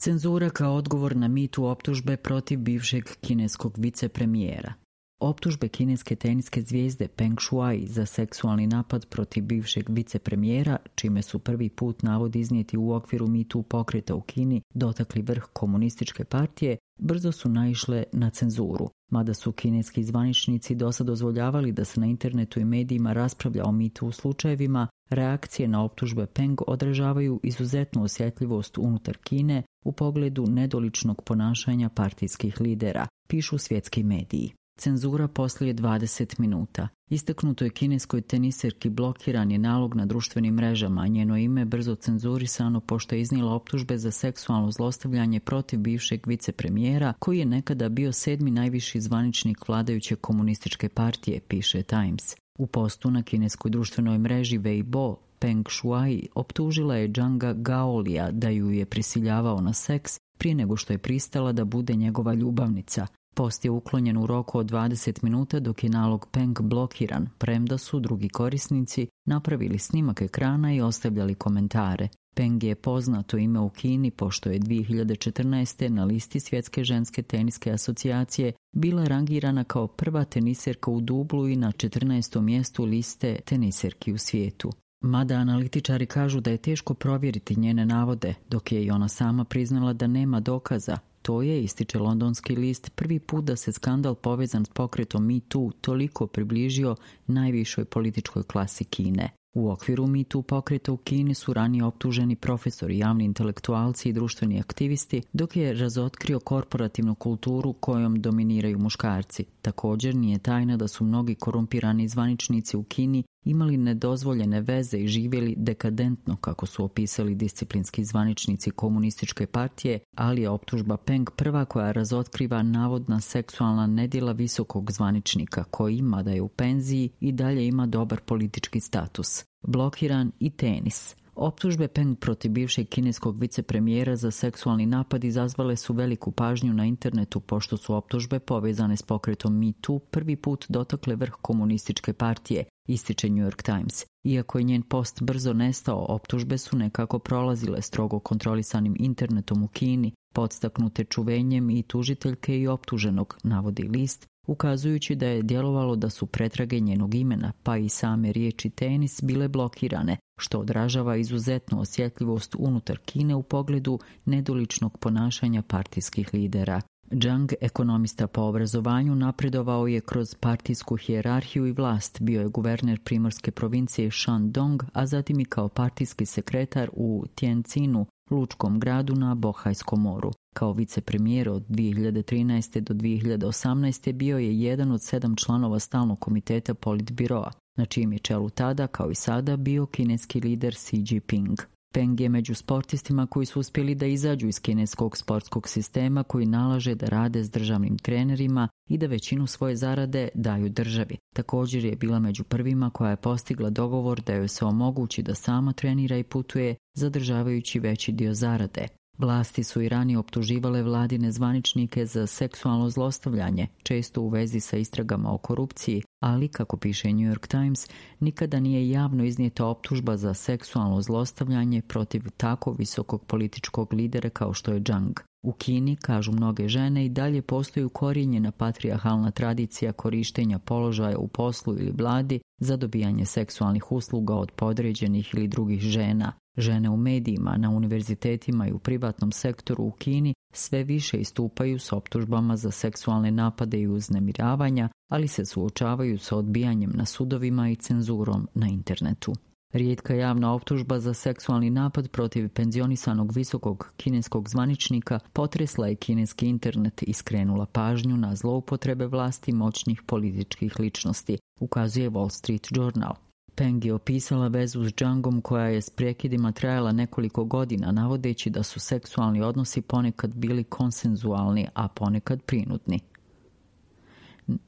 Cenzura kao odgovor na mitu optužbe protiv bivšeg kineskog vicepremijera. Optužbe kineske teniske zvijezde Peng Shuai za seksualni napad protiv bivšeg vicepremijera, čime su prvi put navod iznijeti u okviru mitu pokreta u Kini dotakli vrh komunističke partije, brzo su naišle na cenzuru. Mada su kineski zvaničnici dosad dozvoljavali da se na internetu i medijima raspravlja o mitu u slučajevima, reakcije na optužbe Peng odražavaju izuzetnu osjetljivost unutar Kine u pogledu nedoličnog ponašanja partijskih lidera, pišu svjetski mediji. Cenzura poslije 20 minuta. Istaknuto je kineskoj teniserki blokiran je nalog na društvenim mrežama, a njeno ime brzo cenzurisano pošto je iznijela optužbe za seksualno zlostavljanje protiv bivšeg vicepremijera, koji je nekada bio 7. najviši zvaničnik vladajuće komunističke partije, piše Times. U postu na kineskoj društvenoj mreži Weibo, Peng Shuai optužila je Zhanga Gaolija da ju je prisiljavao na seks prije nego što je pristala da bude njegova ljubavnica. Post je uklonjen u roku od 20 minuta dok je nalog Peng blokiran, premda su drugi korisnici napravili snimak ekrana i ostavljali komentare. Peng je poznato ime u Kini pošto je 2014. na listi Svjetske ženske teniske asocijacije bila rangirana kao prva teniserka u dublu i na 14. mjestu liste teniserki u svijetu. Mada analitičari kažu da je teško provjeriti njene navode, dok je i ona sama priznala da nema dokaza. To je, ističe londonski list, prvi put da se skandal povezan s pokretom Me Too toliko približio najvišoj političkoj klasi Kine. U okviru Me Too pokreta u Kini su ranije optuženi profesori, javni intelektualci i društveni aktivisti, dok je razotkrio korporativnu kulturu kojom dominiraju muškarci. Također nije tajna da su mnogi korumpirani zvaničnici u Kini imali nedozvoljene veze i živjeli dekadentno, kako su opisali disciplinski zvaničnici komunističke partije, ali je optužba Peng prva koja razotkriva navodna seksualna nedjela visokog zvaničnika koji, mada je u penziji, i dalje ima dobar politički status. Blokiran i tenis. Optužbe Peng protiv bivšeg kineskog vicepremijera za seksualni napad izazvale su veliku pažnju na internetu pošto su optužbe povezane s pokretom Me Too prvi put dotakle vrh komunističke partije, ističe New York Times. Iako je njen post brzo nestao, optužbe su nekako prolazile strogo kontrolisanim internetom u Kini, podstaknute čuvenjem i tužiteljke i optuženog, navodi list, ukazujući da je djelovalo da su pretrage njenog imena, pa i same riječi tenis, bile blokirane, što odražava izuzetnu osjetljivost unutar Kine u pogledu nedoličnog ponašanja partijskih lidera. Zhang, ekonomista po obrazovanju, napredovao je kroz partijsku hijerarhiju i vlast, bio je guverner primorske provincije Shandong, a zatim i kao partijski sekretar u Tianjinu, lučkom gradu na Bohajskom moru. Kao vicepremijer od 2013. do 2018. bio je jedan od 7 članova stalnog komiteta Politbiroa, na čijem je čelu tada, kao i sada, bio kineski lider Xi Jinping. Peng je među sportistima koji su uspjeli da izađu iz kineskog sportskog sistema koji nalaže da rade s državnim trenerima i da većinu svoje zarade daju državi. Također je bila među prvima koja je postigla dogovor da joj se omogući da sama trenira i putuje, zadržavajući veći dio zarade. Vlasti su i ranije optuživale vladine zvaničnike za seksualno zlostavljanje, često u vezi sa istragama o korupciji, ali, kako piše New York Times, nikada nije javno iznijeta optužba za seksualno zlostavljanje protiv tako visokog političkog lidera kao što je Zhang. U Kini, kažu mnoge žene, i dalje postoji ukorijenjena patrijarhalna tradicija korištenja položaja u poslu ili vladi za dobijanje seksualnih usluga od podređenih ili drugih žena. Žene u medijima, na univerzitetima i u privatnom sektoru u Kini sve više istupaju s optužbama za seksualne napade i uznemiravanja, ali se suočavaju sa odbijanjem na sudovima i cenzurom na internetu. Rijetka javna optužba za seksualni napad protiv penzionisanog visokog kineskog zvaničnika potresla je kineski internet i skrenula pažnju na zloupotrebe vlasti moćnih političkih ličnosti, ukazuje Wall Street Journal. Peng je opisala vezu s Zhangom koja je s prekidima trajala nekoliko godina, navodeći da su seksualni odnosi ponekad bili konsenzualni, a ponekad prinudni.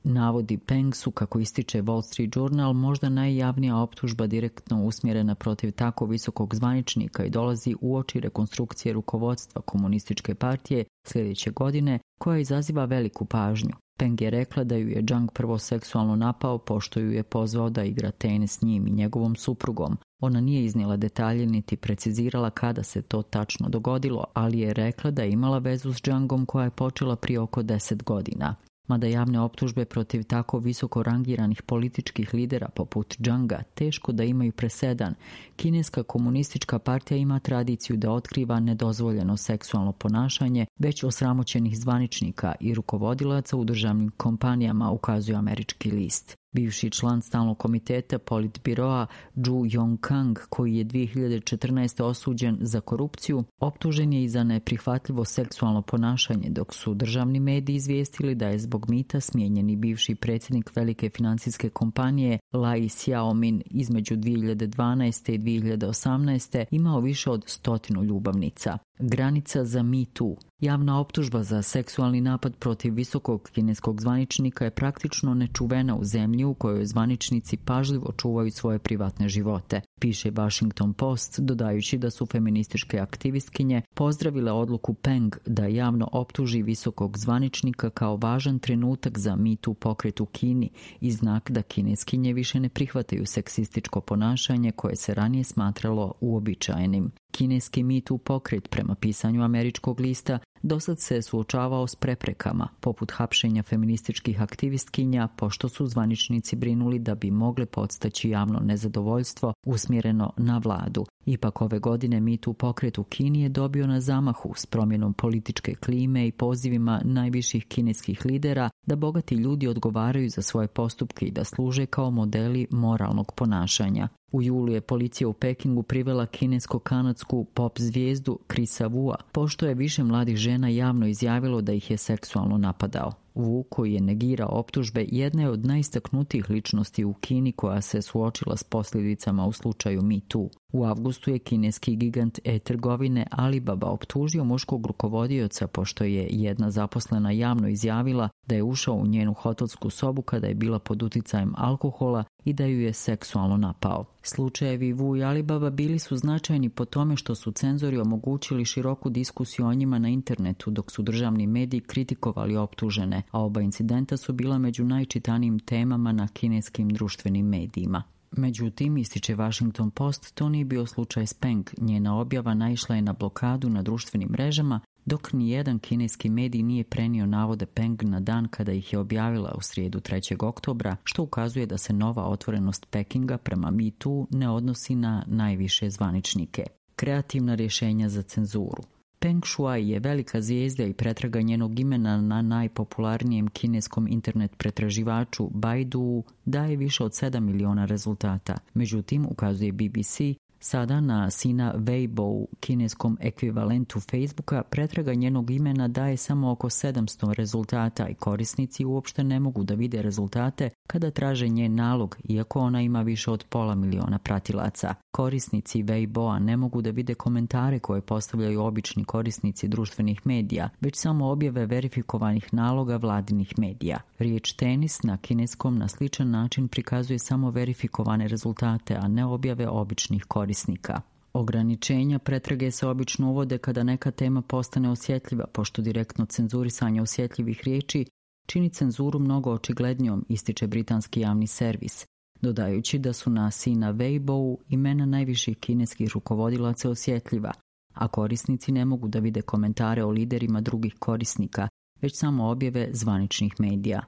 Navodi Peng su, kako ističe Wall Street Journal, možda najjavnija optužba direktno usmjerena protiv tako visokog zvaničnika i dolazi uoči rekonstrukcije rukovodstva komunističke partije sljedeće godine, koja izaziva veliku pažnju. Peng je rekla da ju je Zhang prvo seksualno napao pošto ju je pozvao da igra tenis s njim i njegovom suprugom. Ona nije iznijela detalje niti precizirala kada se to tačno dogodilo, ali je rekla da je imala vezu s Zhangom koja je počela prije oko 10 godina. Mada javne optužbe protiv tako visoko rangiranih političkih lidera poput Zhanga teško da imaju presedan, Kineska komunistička partija ima tradiciju da otkriva nedozvoljeno seksualno ponašanje već osramoćenih zvaničnika i rukovodilaca u državnim kompanijama, ukazuje američki list. Bivši član stalnog komiteta Politbiroa Zhu Yongkang, koji je 2014. osuđen za korupciju, optužen je i za neprihvatljivo seksualno ponašanje, dok su državni mediji izvijestili da je zbog mita smijenjeni bivši predsjednik velike financijske kompanije Lai Xiaomin između 2012. i 2018. imao više od 100 ljubavnica. Granica za Me Too. Javna optužba za seksualni napad protiv visokog kineskog zvaničnika je praktično nečuvena u zemlji u kojoj zvaničnici pažljivo čuvaju svoje privatne živote, piše Washington Post, dodajući da su feminističke aktivistkinje pozdravile odluku Peng da javno optuži visokog zvaničnika kao važan trenutak za Me Too pokret u Kini i znak da kineskinje više ne prihvataju seksističko ponašanje koje se ranije smatralo uobičajenim. Kineski Me Too pokret, prema pisanju američkog lista, dosad se suočavao s preprekama, poput hapšenja feminističkih aktivistkinja, pošto su zvaničnici brinuli da bi mogle podstaći javno nezadovoljstvo usmjereno na vladu. Ipak ove godine Me Too pokret u Kini je dobio na zamahu s promjenom političke klime i pozivima najviših kineskih lidera da bogati ljudi odgovaraju za svoje postupke i da služe kao modeli moralnog ponašanja. U julu je policija u Pekingu privela kinesko-kanadsku pop zvijezdu Chrisa Wua, pošto je više mladih žena javno izjavilo da ih je seksualno napadao. Wu, koji je negirao optužbe, jedna je od najistaknutijih ličnosti u Kini koja se suočila s posljedicama u slučaju Me Too. U avgustu je kineski gigant e-trgovine Alibaba optužio muškog rukovodioca pošto je jedna zaposlena javno izjavila da je ušao u njenu hotelsku sobu kada je bila pod uticajem alkohola i da ju je seksualno napao. Slučajevi Wu i Alibaba bili su značajni po tome što su cenzori omogućili široku diskusiju o njima na internetu, dok su državni mediji kritikovali optužene, a oba incidenta su bila među najčitanijim temama na kineskim društvenim medijima. Međutim, ističe Washington Post, to nije bio slučaj s Peng. Njena objava naišla je na blokadu na društvenim mrežama, dok nijedan kineski medij nije prenio navode Peng na dan kada ih je objavila u srijedu 3. oktobra, što ukazuje da se nova otvorenost Pekinga prema Me Too ne odnosi na najviše zvaničnike. Kreativna rješenja za cenzuru. Peng Shuai je velika zvijezda i pretraga njenog imena na najpopularnijem kineskom internet pretraživaču Baidu daje više od 7 miliona rezultata. Međutim, ukazuje BBC, sada na Sina Weibo, kineskom ekvivalentu Facebooka, pretraga njenog imena daje samo oko 700 rezultata i korisnici uopšte ne mogu da vide rezultate kada traže njen nalog, iako ona ima više od 500.000 pratilaca. Korisnici Weiboa ne mogu da vide komentare koje postavljaju obični korisnici društvenih medija, već samo objave verifikovanih naloga vladinih medija. Riječ tenis na kineskom na sličan način prikazuje samo verifikovane rezultate, a ne objave običnih korisnika. Ograničenja pretrage se obično uvode kada neka tema postane osjetljiva, pošto direktno cenzurisanje osjetljivih riječi čini cenzuru mnogo očiglednijom, ističe britanski javni servis, dodajući da su na Sina Weibo imena najviših kineskih rukovodilaca osjetljiva, a korisnici ne mogu da vide komentare o liderima drugih korisnika, već samo objave zvaničnih medija.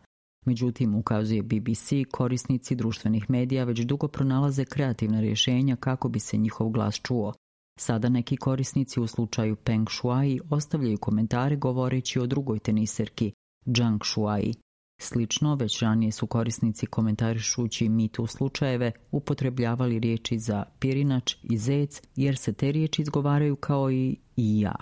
Međutim, ukazuje BBC, korisnici društvenih medija već dugo pronalaze kreativna rješenja kako bi se njihov glas čuo. Sada neki korisnici u slučaju Peng Shuai ostavljaju komentare govoreći o drugoj teniserki, Zhang Shuai. Slično, već ranije su korisnici komentarišući Me Too slučajeve upotrebljavali riječi za pirinač i zec, jer se te riječi izgovaraju kao i ja.